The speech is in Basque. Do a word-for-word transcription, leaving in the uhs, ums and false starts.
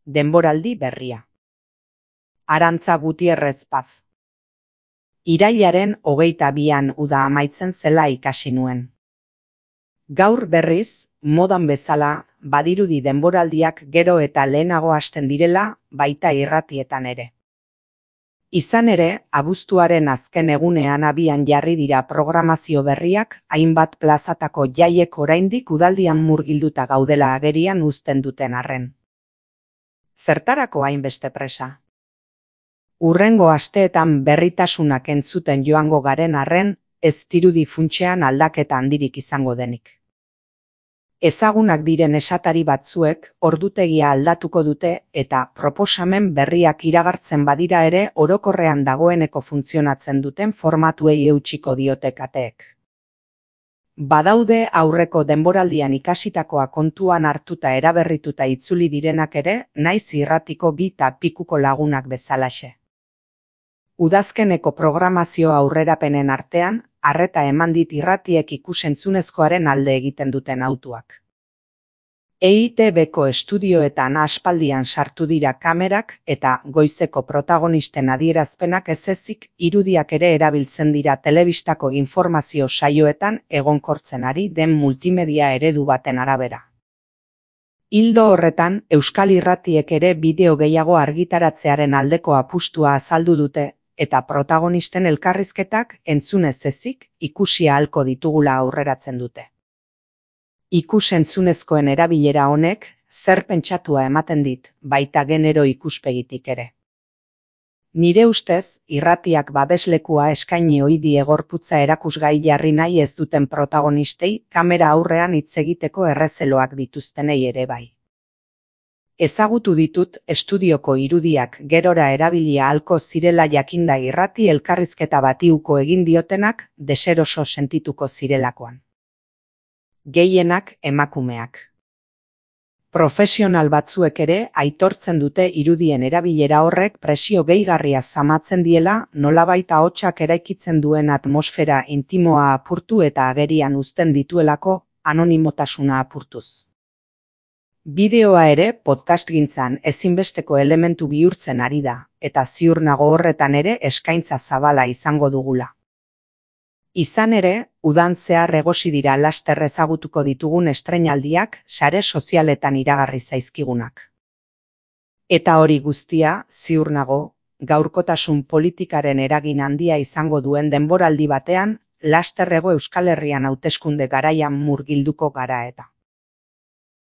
denboraldi berria. Arantza Gutierrez Paz. Irailaren hogeita bian uda amaitzen zela ikasi nuen. Gaur berriz, modan bezala, badirudi denboraldiak gero eta lehenago hasten direla, baita irratietan ere. Izan ere, abuztuaren azken egunean abian jarri dira programazio berriak, hainbat plazatako jaiek oraindik udaldian murgilduta gaudela agerian uzten duten arren. Zertarako hainbeste presa? Hurrengo asteetan berritasunak entzuten joango garen arren, ez dirudi funtsean aldaketa handirik izango denik. Ezagunak diren esatari batzuek ordutegia aldatuko dute eta proposamen berriak iragartzen badira ere orokorrean dagoeneko funtzionatzen duten formatuei eutsiko diote kateek. Badaude aurreko denboraldian ikasitakoa kontuan hartuta eraberrituta itzuli direnak ere, naiz irratiko bi eta pikuko lagunak bezalaxe. Udazkeneko programazio aurrerapenen artean, arreta eman dit irratiek ikusentzunezkoaren alde egiten duten autuak. E I Te Beko estudioetan aspaldian sartu dira kamerak eta goizeko protagonisten adierazpenak ez ezik irudiak ere erabiltzen dira telebistako informazio saioetan egonkortzen ari den multimedia eredu baten arabera. Ildo horretan, Euskal Irratiek ere bideo gehiago argitaratzearen aldeko apustua azaldu dute, eta protagonisten elkarrizketak entzunez ezik ikusi ahalko ditugula aurreratzen dute. Ikus-entzunezkoen erabilera honek zer pentsatua ematen dit, baita genero ikuspegitik ere. Nire ustez, irratiak babeslekua eskaini ohi die gorputza erakusgai jarri nahi ez duten protagonistei kamera aurrean hitz egiteko errezeloak dituztenei ere bai. Ezagutu ditut estudioko irudiak gerora erabilia ahalko zirela jakinda irrati elkarrizketa bati uko egin diotenak deseroso sentituko zirelakoan. Gehienak emakumeak. Profesional batzuek ere aitortzen dute irudien erabilera horrek presio gehigarria zamatzen diela nolabait ahotsak eraikitzen duen atmosfera intimoa apurtu eta agerian uzten dituelako anonimotasuna apurtuz. Bideoa ere podcastgintzan ezinbesteko elementu bihurtzen ari da, eta ziur nago horretan ere eskaintza zabala izango dugula. Izan ere, udan zehar egosi dira laster ezagutuko ditugun estreinaldiak sare sozialetan iragarri zaizkigunak. Eta hori guztia, ziur nago, gaurkotasun politikaren eragin handia izango duen denboraldi batean, lasterrego Euskal Herrian hauteskunde garaian murgilduko gara eta.